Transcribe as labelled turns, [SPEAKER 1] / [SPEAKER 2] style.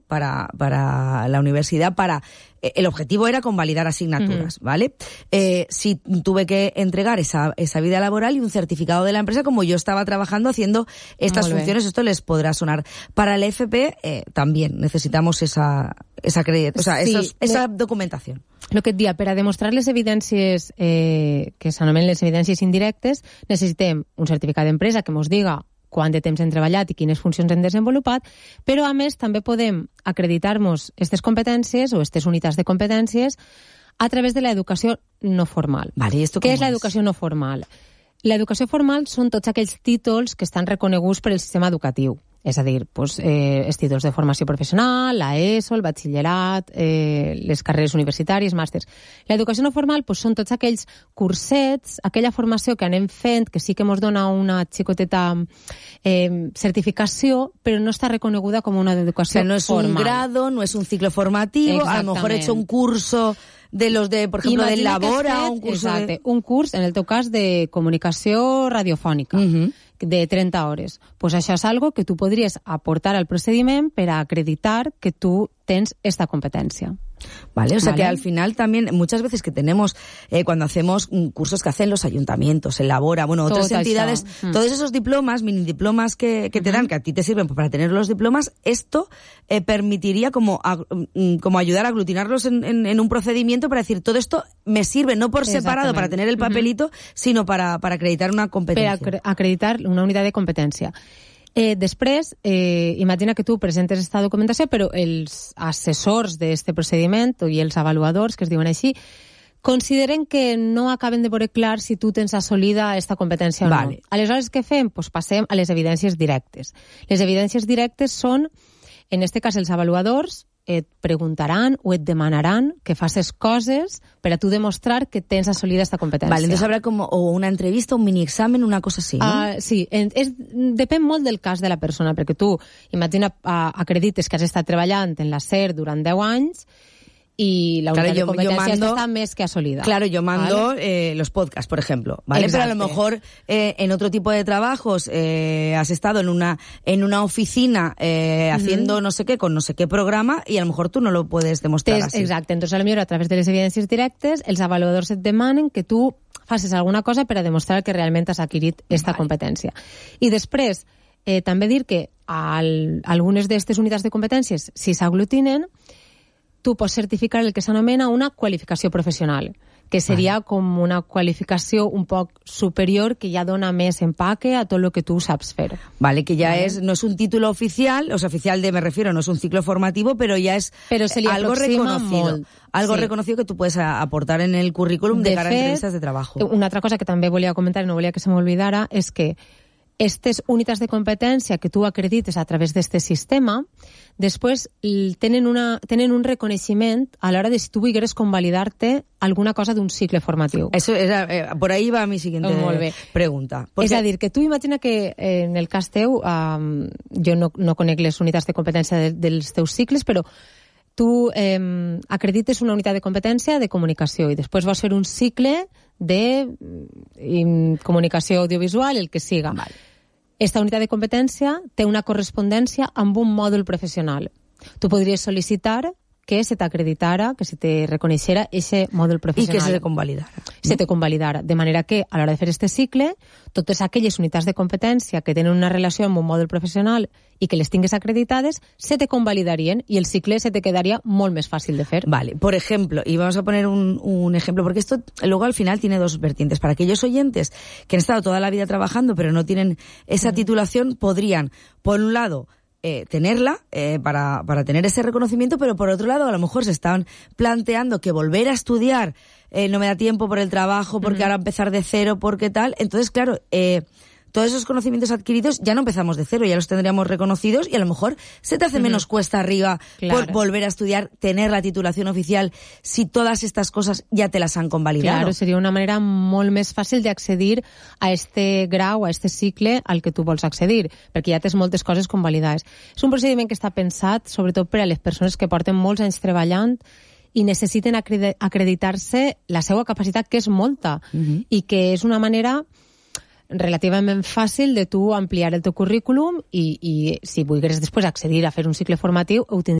[SPEAKER 1] para la universidad, el objetivo era convalidar asignaturas, ¿vale? Sí, tuve que entregar esa vida laboral y un certificado de la empresa como yo estaba trabajando haciendo estas funciones. Esto les podrá sonar. Para el FP también necesitamos esa documentación.
[SPEAKER 2] El que et dia, per a demostrar les evidències que s'anomenen les evidències indirectes, necessitem un certificat d'empresa que mos diga quant de temps hem treballat i quines funcions hem desenvolupat, però a més també podem acreditar-nos aquestes competències o aquestes unitats de competències a través de l'educació no formal.
[SPEAKER 1] Vale,
[SPEAKER 2] Què és l'educació no formal? L'educació formal són tots aquells títols que estan reconeguts per el sistema educatiu. És a dir, els títols de formació professional, l'ESO, el batxillerat, les carreres universitàries, màsters. L'educació no formal són tots aquells cursets, aquella formació que anem fent, que sí que ens dona una xicoteta certificació, però no està reconeguda com una educació formal.
[SPEAKER 1] No es un grado, no es un ciclo formativo, a lo mejor he hecho un curso de los de, por ejemplo, del Labora, un curso
[SPEAKER 2] un curs, en el teu cas, de comunicació radiofònica. De 30 hores. Pues això és algo que tu podries aportar al procediment per a acreditar que tu tens esta competència.
[SPEAKER 1] Vale, o sea que al final también, muchas veces que tenemos, cuando hacemos cursos que hacen los ayuntamientos, el Labora, otras entidades, todos esos diplomas, mini diplomas que te dan, que a ti te sirven para tener los diplomas, esto permitiría como ayudar a aglutinarlos en un procedimiento para decir, todo esto me sirve no por separado para tener el papelito, sino para acreditar una competencia.
[SPEAKER 2] Per acreditar una unitat de competència. Després, imagina que tu presentes aquesta documentació, però els assessors d'aquest procediment i els avaluadors, que es diuen així, consideren que no acaben de veure clar si tu tens assolida aquesta competència o no. Aleshores, què fem? Passem a les evidències directes. Les evidències directes són, en aquest cas, els avaluadors et preguntaran o et demanaran que facis coses per a tu demostrar que tens assolida aquesta competència.
[SPEAKER 1] Vale, entonces habrá como una entrevista, un mini examen, una cosa así, ¿no?
[SPEAKER 2] Sí, depèn molt del cas de la persona, perquè tu, imagina, acredites que has estat treballant en la SER durant 10 anys y la unidad de competencia está más que asolida.
[SPEAKER 1] Claro, yo mando los podcasts, por ejemplo, ¿vale? Pero a lo mejor en otro tipo de trabajos has estado en una oficina haciendo no sé qué, con no sé qué programa, y a lo mejor tú no lo puedes demostrar así.
[SPEAKER 2] Exacte, entonces a lo mejor a través de les evidències directes els avaluadors et demanen que tu facis alguna cosa per a demostrar que realment has adquirit aquesta competència. I després, també dir que algunes d'aquestes unitats de competències, si s'aglutinen, tu pots certificar el que s'anomena una qualificació professional, que seria com una qualificació un poc superior que ja dona més empaque a tot el que tu saps fer.
[SPEAKER 1] Vale, que ya no es un título oficial, o sea, oficial me refiero, no es un ciclo formativo, pero ya es algo reconocido. Algo reconocido que tú puedes aportar en el currículum de cara a entrevistas de trabajo.
[SPEAKER 2] Una altra cosa que també volia comentar i no volia que se m'oblidara és que aquestes unitats de competència que tu acredites a través d'aquest sistema, després tenen un reconeixement a l'hora de si tu volgueres convalidar-te alguna cosa d'un cicle formatiu.
[SPEAKER 1] Eso era, por ahí va mi siguiente pregunta.
[SPEAKER 2] És a dir, que tu imagina que en el cas teu, jo no conec les unitats de competència dels teus cicles, però tu acredites una unitat de competència de comunicació i després vas fer un cicle de comunicació audiovisual, el que siga. Esta unitat de competència té una correspondència amb un mòdul professional. Tu podries sol·licitar que se t'acreditara, que se te reconeixera ese mòdul professional.
[SPEAKER 1] I que se te convalidara.
[SPEAKER 2] Se te convalidara. De manera que, a l'hora de fer este cicle, totes aquelles unitats de competència que tenen una relació amb un mòdul professional i que les tingues acreditades, se te convalidarien y el cicle se te quedaría molt més fàcil de fer.
[SPEAKER 1] Vale, por ejemplo, y vamos a poner un ejemplo, porque esto luego al final tiene dos vertientes. Para aquellos oyentes que han estado toda la vida trabajando pero no tienen esa titulación, podrían, por un lado, tenerla para tener ese reconocimiento, pero por otro lado a lo mejor se estaban planteando que volver a estudiar no me da tiempo por el trabajo, porque ahora empezar de cero, porque tal. Entonces, claro, todos esos conocimientos adquiridos ya no empezamos de cero, ya los tendríamos reconocidos y a lo mejor se te hace menos cuesta arriba por volver a estudiar, tener la titulación oficial, si todas estas cosas ya te las han convalidado.
[SPEAKER 2] Claro, seria una manera molt més fàcil d'accedir a este grau, a este cicle al que tu vols accedir, perquè ja tens moltes coses convalidades. És un procediment que està pensat sobretot per a les persones que porten molts anys treballant i necessiten acreditar-se la seva capacitat, que és molta, i que és una manera relativament fàcil de tu ampliar el teu currículum i si volgueres després accedir a fer un cicle formatiu ho tindries